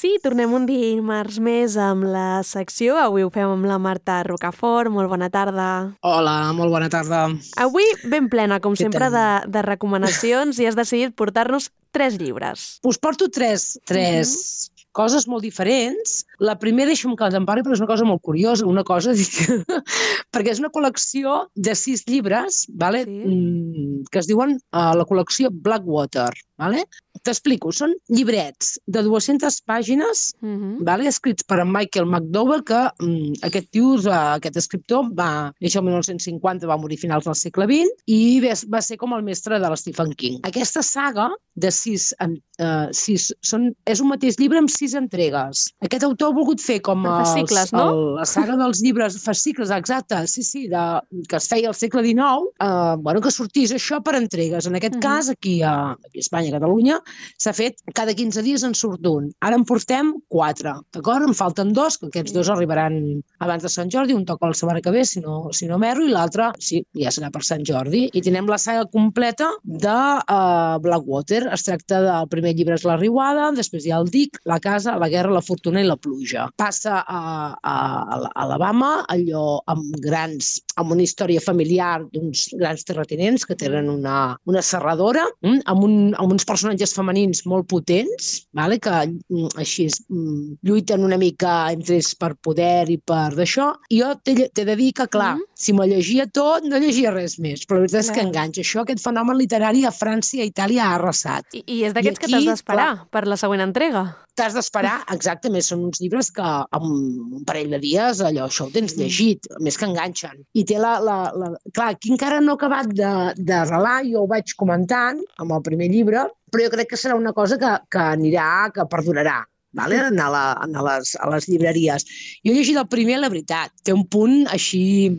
Sí, tornem un dimarts més amb la secció. Avui ho fem amb la Marta Rocafort. Molt bona tarda. Hola, molt bona tarda. Avui ben plena, com Què sempre, tal? de recomanacions i has decidit portar-nos 3 llibres. Us porto tres coses molt diferents. La primera, deixa'm que te'n parli, però és una cosa molt curiosa, una cosa, perquè és una col·lecció de 6 llibres, vale? Sí. Que es diuen la col·lecció Blackwater. Vale? T'explico, són llibrets de 200 pàgines vale? Escrits per en Michael McDowell, que aquest escriptor va néixer el 1950, va morir a finals del segle XX i va ser com el mestre de l'Stephen King. Aquesta saga de 6 és un mateix llibre amb 6 entregues. Aquest autor ha volgut fer com fascicles, no? La saga dels llibres, fascicles, exacte, sí, que es feia al segle XIX, que sortís això per entregues. En aquest cas, aquí a Espanya, a Catalunya, s'ha fet cada 15 dies en surt un. Ara en portem 4, d'acord? En falten 2, que aquests 2 arribaran abans de Sant Jordi, un toca la setmana que ve, si no m'erro, i l'altre, sí, ja serà per Sant Jordi. I tenim la saga completa de Blackwater. Es tracta del primer llibre és La Riuada, després hi ha el Dic, La Casa, La Guerra, La Fortuna i La Pluja. Passa a Alabama, allò amb una història familiar d'uns grans terratinents que tenen una serradora, amb uns personatges femenins molt potents, vale? Que així lluiten una mica entre ells per poder i per d'això. I jo t'he de dir que, clar, si m'ho llegia tot, no llegia res més, però la veritat és que enganxa. Aquest fenomen literari a França i a Itàlia ha arrasat. I és d'aquests que t'has d'esperar per la següent entrega. T'has d'esperar, exactament, són uns llibres que en un parell de dies això ho tens llegit, més que enganxen. I té clar, aquí encara no he acabat d'arrelar, jo ho vaig comentant amb el primer llibre, però jo crec que serà una cosa que perdurarà. Vale? A les llibreries. Jo he llegit el primer, la veritat. Té un punt així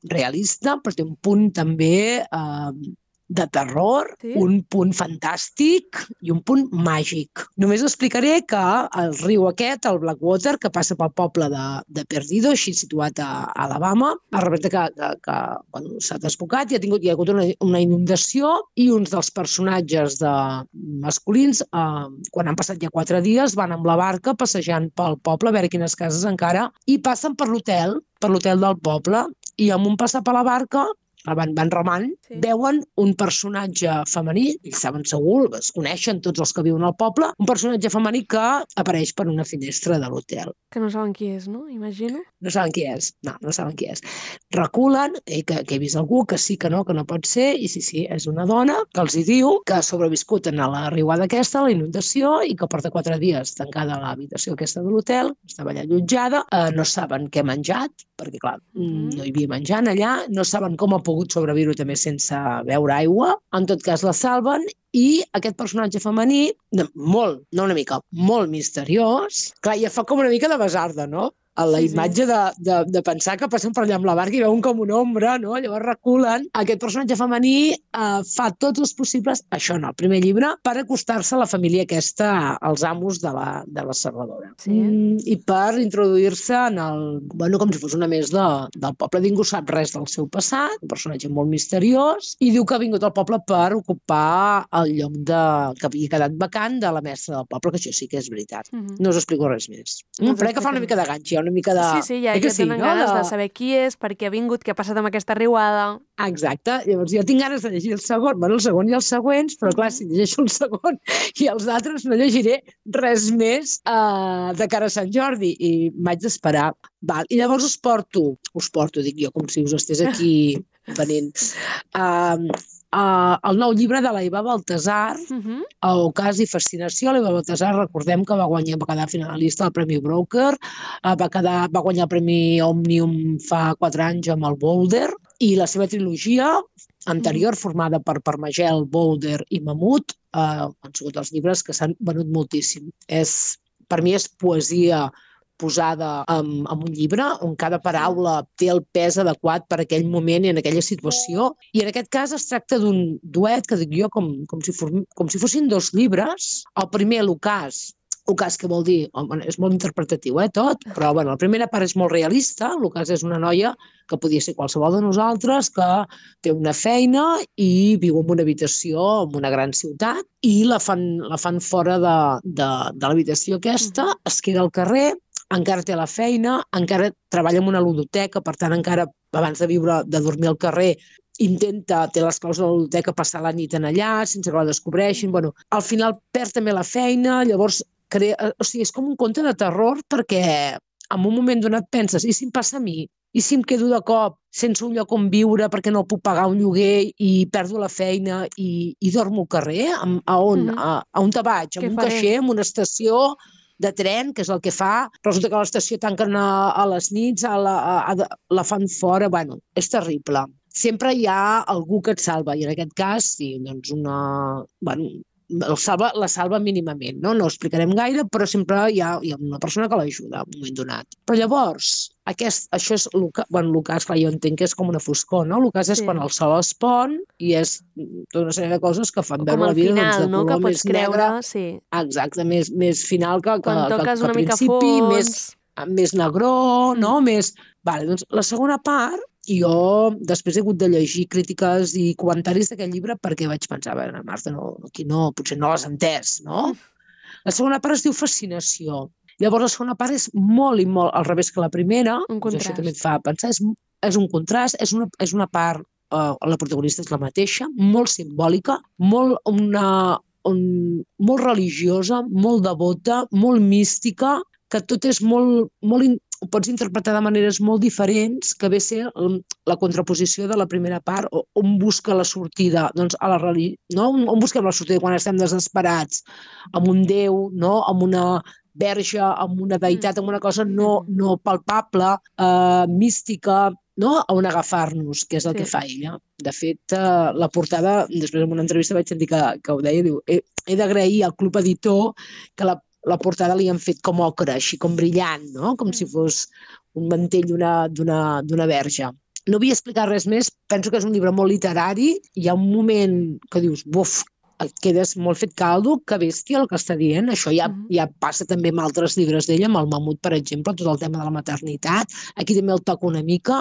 realista, però té un punt també de terror, un punt fantàstic i un punt màgic. Només explicaré que el riu aquest, el Blackwater, que passa pel poble de Perdido, així situat a Alabama, es representa que s'ha desbocat i hi ha hagut una inundació i uns dels personatges masculins, quan han passat ja 4 dies, van amb la barca passejant pel poble a veure quines cases encara i passen per l'hotel del poble i amb un passar per la barca van remant, veuen un personatge femení, ells saben segur, es coneixen tots els que viuen al poble, un personatge femení que apareix per una finestra de l'hotel. Que no saben qui és, no? Imagino. No saben qui és, no saben qui és. Reculen, que he vist algú, que sí, que no pot ser, i sí, és una dona que els hi diu que ha sobreviscut a la riuada aquesta, a la inundació, i que porta 4 dies tancada a l'habitació aquesta de l'hotel, estava allà allotjada, no saben què ha menjat, perquè clar, no hi havia menjant allà, no saben com ha pogut sobreviure també sense beure aigua, en tot cas la salven i aquest personatge femení, molt misteriós, clar, ja fa com una mica de basarda, no? A la imatge de pensar que passen per allà amb la barca i veuen com una ombra, no? Llavors reculen. Aquest personatge femení fa tots els possibles, això no, el primer llibre, per acostar-se a la família aquesta, als amos de la serradora. I per introduir-se com si fos una més del poble. Ningú sap res del seu passat, un personatge molt misteriós, i diu que ha vingut al poble per ocupar el lloc que havia quedat vacant de la mestra del poble, que això sí que és veritat. No us explico res més. Però que fa una mica de ganx, una mica de... Sí, ja tenen ganes de saber qui és, per què ha vingut, què ha passat amb aquesta riuada. Exacte, llavors jo tinc ganes de llegir el segon i els següents, però clar, si llegeixo el segon i els altres no llegiré res més de cara a Sant Jordi i m'haig d'esperar. I llavors us porto, dic jo, com si us estés aquí venint, el nou llibre de l'Eva Baltasar, Ocàs i Fascinació. L'Eva Baltasar, recordem que va quedar finalista al Premi Broker, va guanyar el Premi Òmnium fa 4 anys amb el Boulder, i la seva trilogia anterior, formada per Parmagel, Boulder i Mamut, han sigut els llibres que s'han venut moltíssim. Per mi és poesia posada en un llibre on cada paraula té el pes adequat per aquell moment i en aquella situació. I en aquest cas es tracta d'un duet que dic jo com si fossin 2 llibres. El primer, l'Ocàs, L'ocàs, què vol dir? Bueno, és molt interpretatiu, tot, però bueno, la primera part és molt realista. L'ocàs és una noia que podia ser qualsevol de nosaltres, que té una feina i viu en una habitació en una gran ciutat i la fan fora de l'habitació aquesta, es queda al carrer, encara té la feina, encara treballa en una ludoteca, per tant, encara abans de dormir al carrer, té les claus de la ludoteca, passar la nit en allà, sense que la descobreixin. Bueno, al final perd també la feina, llavors és com un conte de terror perquè en un moment donat penses, i si em passa a mi? I si em quedo de cop sense un lloc on viure perquè no puc pagar un lloguer i perdo la feina i dormo al carrer? A on te vaig? A un caixer, a una estació de tren, que és el que fa. Resulta que a l'estació tanquen a les nits, la fan fora. Bueno, és terrible. Sempre hi ha algú que et salva, i en aquest cas, sí, doncs la salva mínimament, no? No ho explicarem gaire, però sempre hi ha una persona que l'ajuda en un moment donat. Però llavors, això és l'ocàs, clar, jo entenc que és com una foscor, no? L'ocàs és quan el sol es pon i és tota una sèrie de coses que fan veure la vida de color més negre. Com al final, no? Que pots creure, sí. Exacte, més final que toques una mica fons. Més negró, no? Vale, doncs la segona part, jo després he hagut de llegir crítiques i comentaris d'aquest llibre perquè vaig pensar, Marta, aquí no, potser no l'has entès, no? La segona part es diu Fascinació. Llavors la segona part és molt i molt al revés que la primera. Això també et fa pensar. És un contrast, és una part, la protagonista és la mateixa, molt simbòlica, molt religiosa, molt devota, molt mística, que tot és molt ho pots interpretar de maneres molt diferents, que ve a ser la contraposició de la primera part, on busca la sortida, doncs a la religió, no? On busquem la sortida quan estem desesperats, amb un déu, no? Amb una verge, amb una deïtat, amb una cosa no palpable, mística, no? On agafar-nos, que és el que fa ella. De fet, la portada, després en una entrevista vaig sentir que ho deia, diu, he d'agrair al Club Editor que la portada li han fet com ocre, així com brillant, no? Com si fos un mantell d'una verge. No vull explicar res més, penso que és un llibre molt literari, hi ha un moment que dius, buf, et quedes molt fet caldo, que bèstia el que està dient. Això ja passa també amb altres llibres d'ella, amb el Mamut, per exemple, tot el tema de la maternitat. Aquí també el toca una mica.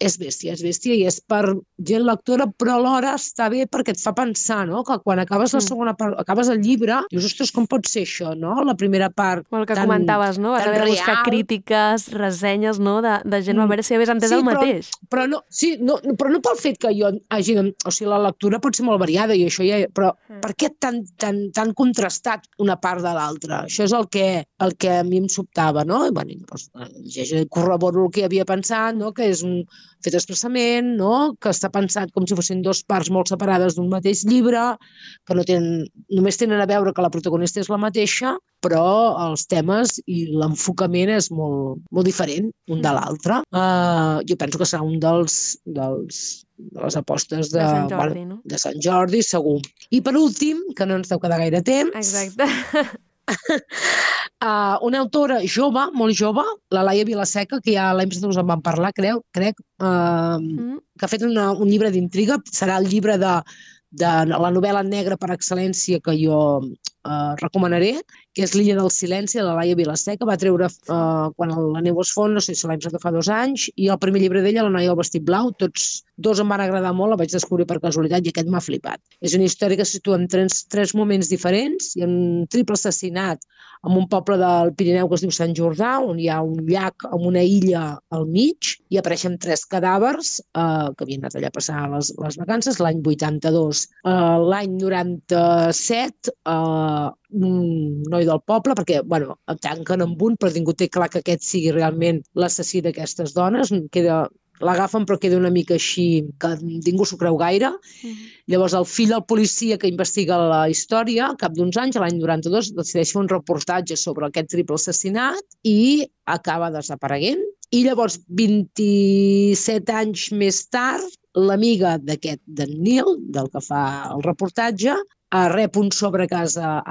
És bèstia i és per gent lectora, però alhora està bé perquè et fa pensar, no? Que quan acabes la segona part, acabes el llibre, dius, ostres, com pot ser això, no? La primera part el que comentaves, no? Vas haver de buscar crítiques, ressenyes, no? De gent, a veure si havies entès el mateix. Però no pel fet que jo hagi... O sigui, la lectura pot ser molt variada i això ja... Però per què tan contrastat una part de l'altra? Això és el que a mi em sobtava, no? I, bueno, doncs, corroboro el que havia pensat, no? Que és fet expressament, no? Que està pensat com si fossin dues parts molt separades d'un mateix llibre, que només tenen a veure que la protagonista és la mateixa, però els temes i l'enfocament és molt, molt diferent un de l'altre. Jo penso que serà un de les apostes de Sant Jordi, no? De Sant Jordi, segur. I per últim, que no ens deu quedar gaire temps... Exacte. Una autora jove, molt jove, la Laia Vilaseca, que ja l'any passat us en vam parlar, crec, que ha fet un llibre d'intriga, serà el llibre de la novel·la negra per excel·lència que jo recomanaré, que és L'illa del silenci, de la Laia Vilaseca. Va treure quan la neu es fon, no sé si l'any passat fa 2 anys, i el primer llibre d'ella, La noia del vestit blau. Tots dos em van agradar molt, la vaig descobrir per casualitat i aquest m'ha flipat. És una història que se situa en 3 moments diferents. Hi ha un triple assassinat en un poble del Pirineu que es diu Sant Jordà, on hi ha un llac amb una illa al mig, i apareixen 3 cadàvers que havien anat allà a passar les vacances, l'any 82. L'any 97, un noi del poble, perquè, bueno, el tanquen amb un, però ningú té clar que aquest sigui realment l'assassí d'aquestes dones, l'agafen però queda una mica així que ningú s'ho creu gaire. Llavors el fill del policia que investiga la història, al cap d'uns anys, l'any 92, decideix fer un reportatge sobre aquest triple assassinat i acaba desapareguent. I llavors, 27 anys més tard, l'amiga d'en Neil, del que fa el reportatge, rep un sobre a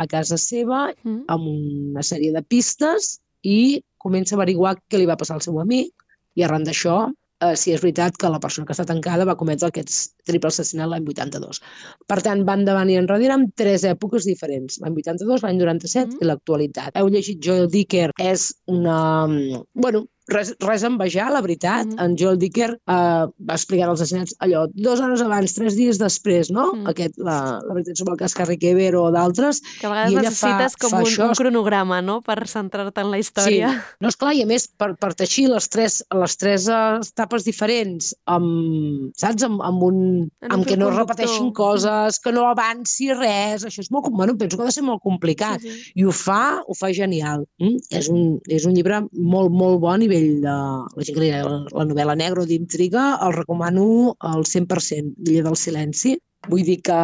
casa seva amb una sèrie de pistes i comença a averiguar què li va passar al seu amic, i arran d'això si és veritat que la persona que està tancada va cometre aquests triple assassinats l'any 82. Per tant, van davant i enrere amb 3 èpoques diferents. L'any 82, l'any 97 i l'actualitat. Heu llegit Joel Dicker, és una... Bueno, res a envejar, la veritat. En Joel Dicker va explicar els assassinats allò 2 hores abans, 3 dies després, no? La veritat sobre el cas Carrie Keber o d'altres. Que a vegades necessites com un cronograma, no?, per centrar-te en la història. Sí. No, esclar, i a més, per teixir les tres etapes diferents, saps? Amb que no es repeteixin coses, que no avanci res, això és molt... Bueno, penso que ha de ser molt complicat. I ho fa genial. És un llibre molt, molt bon a nivell de la gent que li agrada la novel·la negra o d'intriga, el recomano al 100%, L'illa del silenci. Vull dir que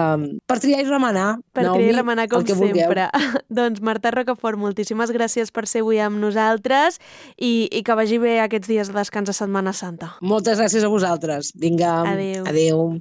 per triar i remenar, Naomi, com sempre. Doncs Marta Rocafort, moltíssimes gràcies per ser avui amb nosaltres i que vagi bé aquests dies de descans de Setmana Santa. Moltes gràcies a vosaltres. Vinga, adéu.